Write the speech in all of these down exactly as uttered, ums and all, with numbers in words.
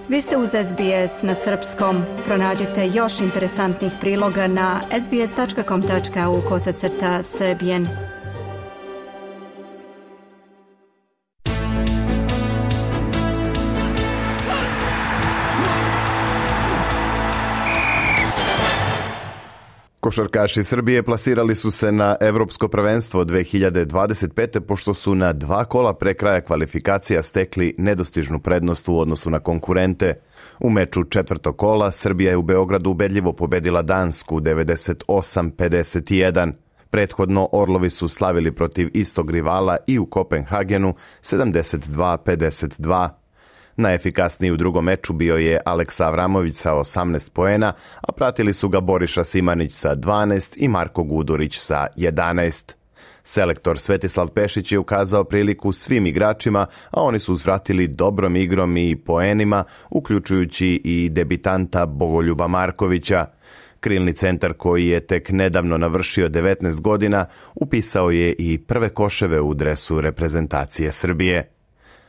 Vi ste uz S B S na srpskom. Pronađite još interesantnih priloga na sbs tačka com tačka au kosacrta srbijen. Košarkaši Srbije plasirali su se na Evropsko prvenstvo dve hiljade dvadeset pete. pošto su na dva kola pre kraja kvalifikacija stekli nedostižnu prednost u odnosu na konkurente. U meču četvrtog kola Srbija je u Beogradu ubedljivo pobedila Dansku devedeset osam pedeset jedan. Prethodno Orlovi su slavili protiv istog rivala i u Kopenhagenu sedamdeset dva pedeset dva. Najefikasniji u drugom meču bio je Aleksa Avramović sa osamnaest poena, a pratili su ga Boriša Simanić sa dvanaest i Marko Gudurić sa jedanaest. Selektor Svetislav Pešić je ukazao priliku svim igračima, a oni su uzvratili dobrom igrom i poenima, uključujući i debitanta Bogoljuba Markovića. Krilni centar, koji je tek nedavno navršio devetnaest godina, upisao je i prve koševe u dresu reprezentacije Srbije.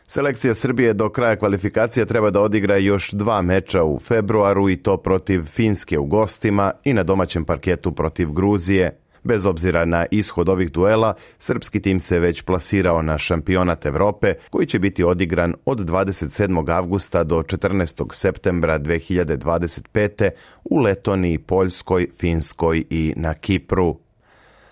Selekcija Srbije do kraja kvalifikacija treba da odigra još dva meča u februaru, i to protiv Finske u gostima i na domaćem parketu protiv Gruzije. Bez obzira na ishod ovih duela, srpski tim se već plasirao na šampionat Evrope, koji će biti odigran od dvadeset sedmog avgusta do četrnaestog septembra dve hiljade dvadeset pete. u Letoniji, Poljskoj, Finskoj i na Kipru.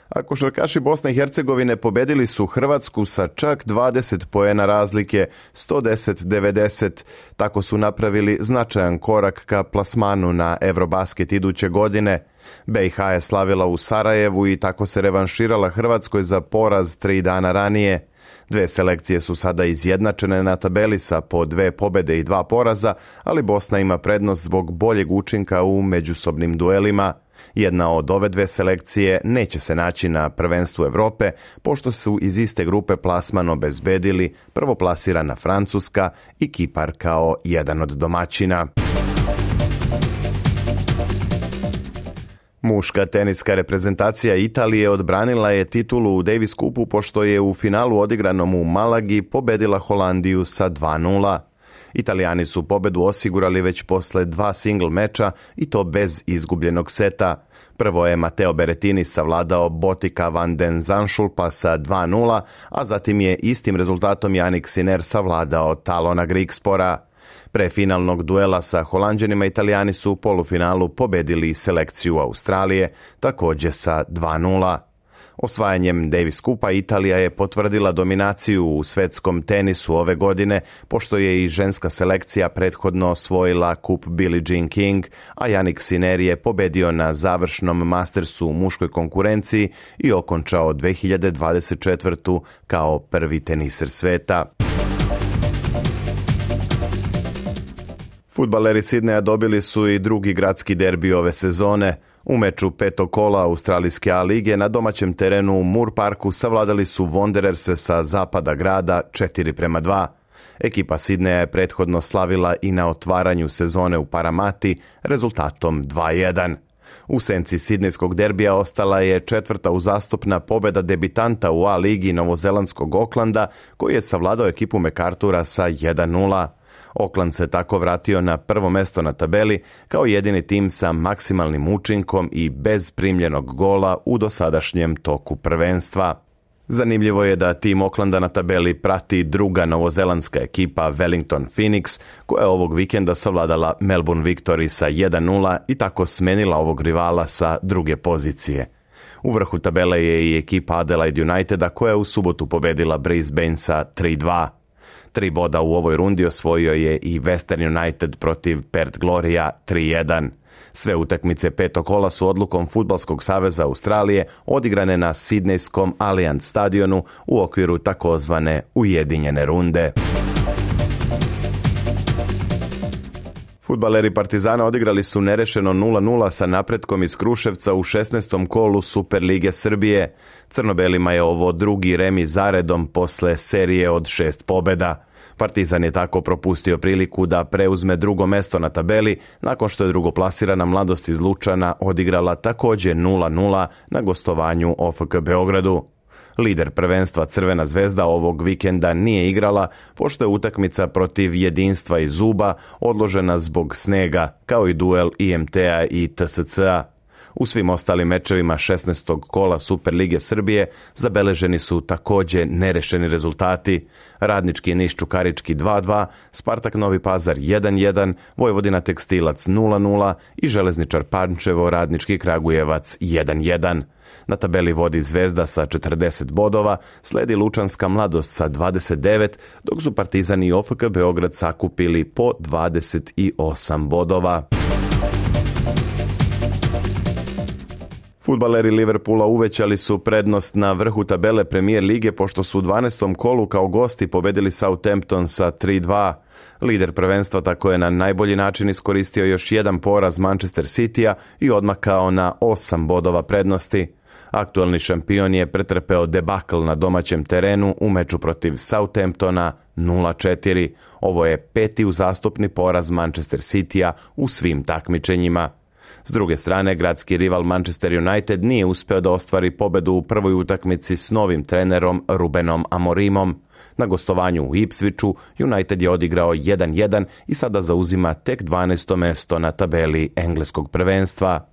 A košarkaši Bosne i Hercegovine pobedili su Hrvatsku sa čak dvadeset poena razlike, sto deset devedeset. Tako su napravili značajan korak ka plasmanu na Eurobasket iduće godine. B i H je slavila u Sarajevu i tako se revanširala Hrvatskoj za poraz tri dana ranije. Dve selekcije su sada izjednačene na tabeli sa po dve pobede i dva poraza, ali Bosna ima prednost zbog boljeg učinka u međusobnim duelima. Jedna od ove dve selekcije neće se naći na prvenstvu Evrope, pošto su iz iste grupe plasman obezbedili prvoplasirana Francuska i Kipar kao jedan od domaćina. Muška teniska reprezentacija Italije odbranila je titulu u Davis Cupu, pošto je u finalu odigranom u Malagi pobedila Holandiju sa dva nula. Italijani su pobedu osigurali već posle dva single meča, i to bez izgubljenog seta. Prvo je Matteo Berrettini savladao Botika van den Zandschulpa sa dva nula, a zatim je istim rezultatom Jannik Sinner savladao Talona Grigspora. Pre finalnog duela sa Holanđanima Italijani su u polufinalu pobedili selekciju Australije, također sa dva nula. Osvajanjem Davis Cupa Italija je potvrdila dominaciju u svetskom tenisu ove godine, pošto je i ženska selekcija prethodno osvojila kup Billie Jean King, a Jannik Sinner je pobedio na završnom Mastersu u muškoj konkurenciji i okončao dve hiljade dvadeset četvrte. kao prvi teniser sveta. Fudbaleri Sidneja dobili su i drugi gradski derbi ove sezone. U meču petog kola Australijske A lige na domaćem terenu u Moore Parku savladali su Wandererse sa zapada grada četiri prema dva. Ekipa Sidneja je prethodno slavila i na otvaranju sezone u Paramati rezultatom dva jedan. U senci sidnejskog derbija ostala je četvrta uzastopna pobeda debitanta u A ligi novozelandskog Aucklanda, koji je savladao ekipu MacArthura sa jedan nula. Auckland se tako vratio na prvo mesto na tabeli kao jedini tim sa maksimalnim učinkom i bez primljenog gola u dosadašnjem toku prvenstva. Zanimljivo je da tim Aucklanda na tabeli prati druga novozelandska ekipa Wellington Phoenix, koja je ovog vikenda savladala Melbourne Victory sa jedan nula i tako smenila ovog rivala sa druge pozicije. U vrhu tabele je i ekipa Adelaide Uniteda, koja je u subotu pobedila Brisbane sa tri dva. Tri boda u ovoj rundi osvojio je i Western United protiv Perth Gloria tri jedan. Sve utakmice petog kola su odlukom Fudbalskog saveza Australije odigrane na sidnejskom Allianz stadionu u okviru takozvane ujedinjene runde. Fudbaleri Partizana odigrali su nerešeno nula nula sa Napretkom iz Kruševca u šesnaestom kolu Superlige Srbije. Crnobelima je ovo drugi remi zaredom posle serije od šest pobeda. Partizan je tako propustio priliku da preuzme drugo mesto na tabeli, nakon što je drugoplasirana Mladost iz Lučana odigrala također nula nula na gostovanju O F K Beogradu. Lider prvenstva Crvena zvezda ovog vikenda nije igrala, pošto je utakmica protiv Jedinstva iz Zuba odložena zbog snega, kao i duel I M T-a i T S C-a. U svim ostalim mečevima šesnaestog kola Superlige Srbije zabeleženi su također nerešeni rezultati. Radnički Niš Čukarički dva dva, Spartak Novi Pazar jedan jedan, Vojvodina Tekstilac nula nula i Železničar Pančevo Radnički Kragujevac jedan jedan. Na tabeli vodi Zvezda sa četrdeset bodova, sledi Lučanska Mladost sa dvadeset devet, dok su Partizan i O F K Beograd sakupili po dvadeset osam bodova. Fudbaleri Liverpoola uvećali su prednost na vrhu tabele Premier lige pošto su u dvanaestom kolu kao gosti pobedili Southampton sa tri dva. Lider prvenstva tako je na najbolji način iskoristio još jedan poraz Manchester City-a i odmakao na osam bodova prednosti. Aktualni šampion je pretrpeo debakl na domaćem terenu u meču protiv Southamptona nula četiri. Ovo je peti uzastopni poraz Manchester City-a u svim takmičenjima. S druge strane, gradski rival Manchester United nije uspeo da ostvari pobedu u prvoj utakmici s novim trenerom Rubenom Amorimom. Na gostovanju u Ipswichu United je odigrao jedan jedan i sada zauzima tek dvanaesto mesto na tabeli engleskog prvenstva.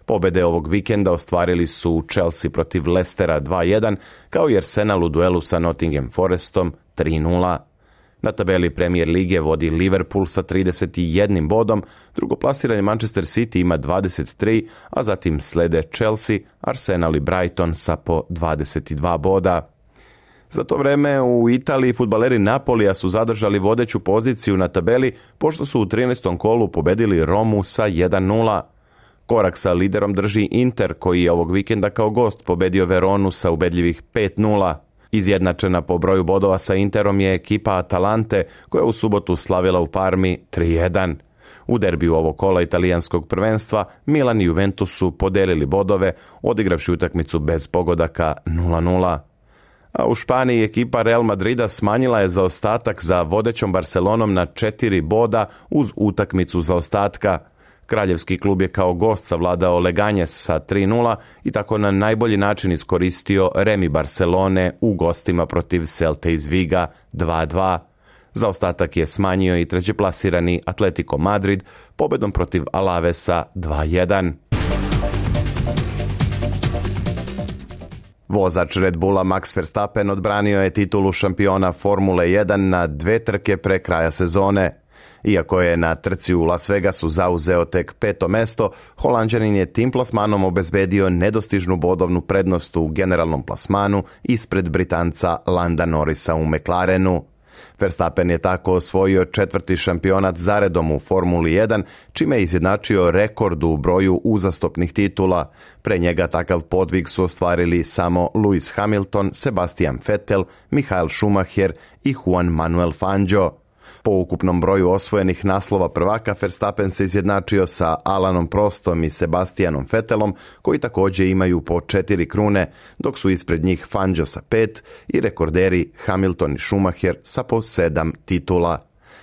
Pobede ovog vikenda ostvarili su Chelsea protiv Leicestera dva jedan, kao i Arsenal u duelu sa Nottingham Forestom tri nula. Na tabeli Premier lige vodi Liverpool sa trideset jednim bodom, drugoplasirani Manchester City ima dvadeset tri, a zatim slede Chelsea, Arsenal i Brighton sa po dvadeset dva boda. Za to vreme u Italiji fudbaleri Napolija su zadržali vodeću poziciju na tabeli, pošto su u trinaestom kolu pobedili Romu sa jedan nula. Korak sa liderom drži Inter, koji je ovog vikenda kao gost pobedio Veronu sa ubedljivih pet nula. Izjednačena po broju bodova sa Interom je ekipa Atalante, koja u subotu slavila u Parmi tri jedan. U derbiju ovog kola italijanskog prvenstva Milan i Juventus su podelili bodove, odigravši utakmicu bez pogodaka nula nula. A u Španiji ekipa Real Madrida smanjila je zaostatak za vodećom Barcelonom na četiri boda uz utakmicu zaostatka. Kraljevski klub je kao gost savladao Leganjes sa tri nula i tako na najbolji način iskoristio remi Barcelone u gostima protiv Celte iz Viga dva dva. Zaostatak je smanjio i trećeplasirani Atletico Madrid pobedom protiv Alavesa dva jedan. Vozač Red Bulla Max Verstappen odbranio je titulu šampiona Formule jedan na dve trke pre kraja sezone. Iako je na trci u Las Vegasu zauzeo tek peto mesto, Holanđanin je tim plasmanom obezbedio nedostižnu bodovnu prednost u generalnom plasmanu ispred Britanca Landa Norrisa u McLarenu. Verstappen je tako osvojio četvrti šampionat zaredom u Formuli jedan, čime je izjednačio rekord u broju uzastopnih titula. Pre njega takav podvig su ostvarili samo Lewis Hamilton, Sebastian Vettel, Michael Schumacher i Juan Manuel Fangio. Po ukupnom broju osvojenih naslova prvaka, Verstappen se izjednačio sa Alanom Prostom i Sebastianom Vettelom, koji također imaju po četiri krune, dok su ispred njih Fangio sa pet i rekorderi Hamilton i Schumacher sa po sedam titula.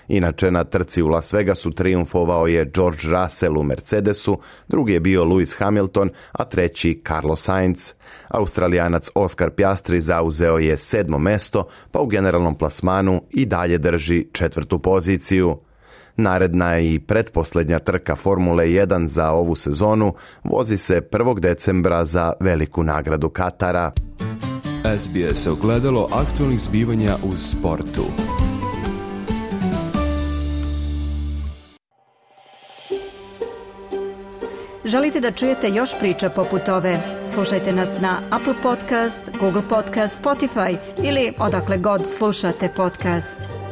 Inače, na trci u Las Vegasu triumfovao je George Russell u Mercedesu, drugi je bio Lewis Hamilton, a treći Carlos Sainz. Australijanac Oscar Piastri zauzeo je sedmo mesto, pa u generalnom plasmanu i dalje drži četvrtu poziciju. Naredna i pretposljednja trka Formule jedan za ovu sezonu vozi se prvog decembra za veliku nagradu Katara. S B S ogledalo aktualnih zbivanja u sportu. Želite da čujete još priča poput ove? Slušajte nas na Apple Podcast, Google Podcast, Spotify ili odakle god slušate podcast.